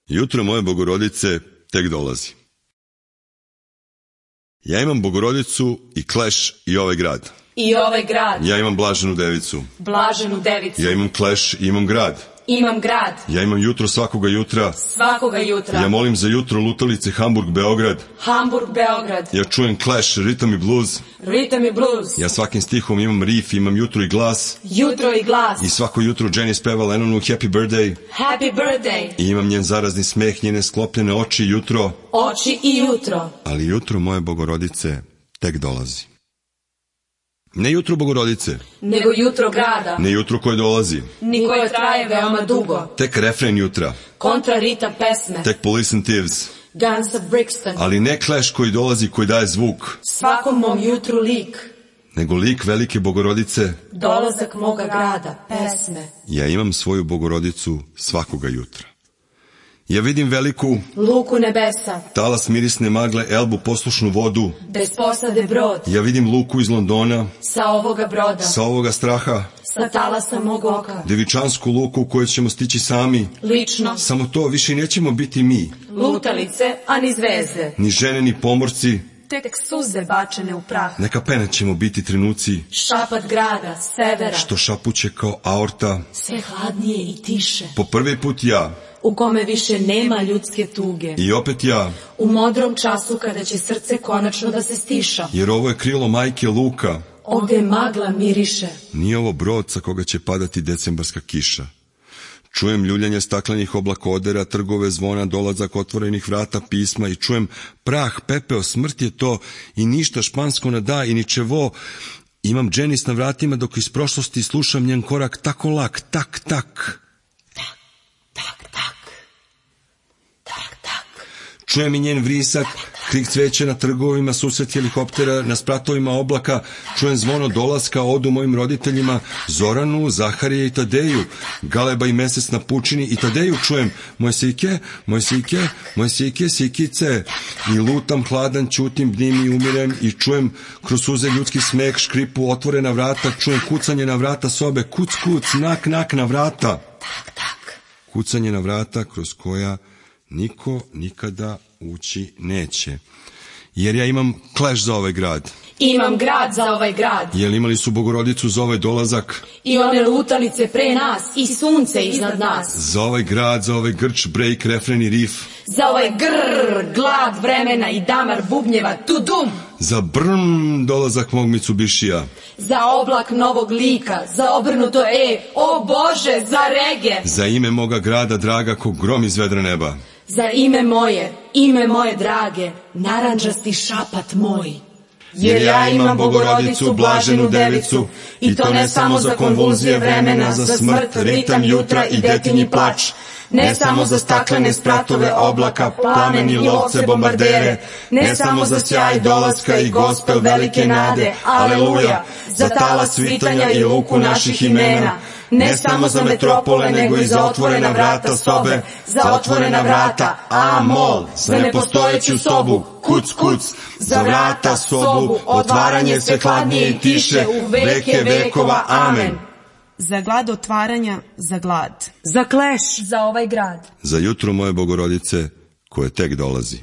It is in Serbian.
Jutro moje Bogorodice tek dolazi. Ja imam Bogorodicu i Clash i ovaj grad. I ovaj grad. Ja imam Blaženu Devicu. Blaženu Devicu. Ja imam Clash i imam grad. Imam grad. Ja imam jutro svakoga jutra. Svakoga jutra. Ja molim za jutro lutalice Hamburg, Beograd. Hamburg, Beograd. Ja čujem Clash, ritam i blues. Ritam i blues. Ja svakim stihom imam riff, imam jutro i glas. Jutro i glas. I svako jutro Jenny speva Lennonu Happy Birthday. Happy birthday. I imam njen zarazni smeh, njene sklopljene oči jutro. Oči i jutro. Ali jutro moje Bogorodice tek dolazi. Ne jutro Bogorodice, nego jutro grada. ne jutro koje dolazi, Ni koje traje veoma dugo. tek refren jutra, Kontra ritam pesme. tek Police and Thieves, Guns of Brixton. ali ne Clash koji dolazi, koji daje zvuk, Svakom mom jutru lik. nego lik velike Bogorodice. Dolazak moga grada. Pesme. Ja imam svoju Bogorodicu svakoga jutra. Ja vidim veliku, Luku nebesa. talas mirisne magle, Elbu poslušnu vodu. Bez posade brod. Ja vidim Luku iz Londona, Sa ovoga broda. sa ovoga straha, Sa talasa mog oka. Devičansku Luku u kojoj ćemo stići sami. Lično. Samo to, više nećemo biti mi, Lutalice, a ni zvezde. ni žene, ni pomorci. Tek suze bačene u prah. Neka pene ćemo biti trenuci, Šapat grada, severa. što šapuće kao aorta. Sve hladnije i tiše. Po prvi put ja, U kome više nema ljudske tuge. i opet ja, U modrom času kada će srce konačno da se stiša. jer ovo je krilo majke Luka. Ovde magla miriše. Nije ovo brod sa koga će padati decembarska kiša. Čujem ljuljanje staklenih oblakodera, trgove zvona, dolazak otvorenih vrata, pisma i čujem prah, pepeo, smrt je to i ništa špansko ne da i ničevo. Imam Dženis na vratima dok iz prošlosti slušam njen korak tako lak, tak, tak. Tak, tak, tak. Tak, tak. Čujem i njen vrisak, krik cveća na trgovima, susret helikoptera na spratovima oblaka, čujem zvono dolaska, odu mojim roditeljima, Zoranu, Zaharije i Tadeju, Galeba i mesec na pučini i Tadeju čujem, moje sike, moje sike, moje sike, sikice, i lutam hladan, ćutim, bdim i umirem i čujem kroz suze ljudski smeh, škripu, otvorena vrata, čujem kucanje na vrata sobe, kuc, kuc, nak, nak na vrata. Tak, tak. Kucanje na vrata kroz koja niko nikada ući neće. Jer ja imam Clash za ovaj grad. Imam grad za ovaj grad. Jer imali su Bogorodicu za ovaj dolazak. I one lutalice pre nas. I sunce iznad nas. Za ovaj grad, za ovaj grč, break, refren i riff. Za ovaj grrr, glad vremena i damar bubnjeva, tudum. Za brm, dolazak mog Mitsubishija. Za oblak novog lika, za obrnuto o Bože, za rege. Za ime moga grada draga ko grom iz vedra neba. Za ime moje drage, narandžasti šapat moj. Jer ja imam Bogorodicu, Blaženu Devicu, i to ne samo za konvulzije vremena, za smrt, ritam jutra i detinji plač. Ne samo za staklene spratove oblaka, plamen i lovce bombardere, ne samo za sjaj dolaska i gospel velike nade, aleluja, za talas svitanja i luku naših imena, ne samo za metropole, nego i za otvorena vrata sobe, za otvorena vrata, amol, za nepostojeću sobu, kuc, kuc, za vrata sobu, otvaranje sve hladnije i tiše, u veke vekova, amen. Za glad otvaranja, za glad. Za Clash, za ovaj grad. Za jutro moje Bogorodice koje tek dolazi.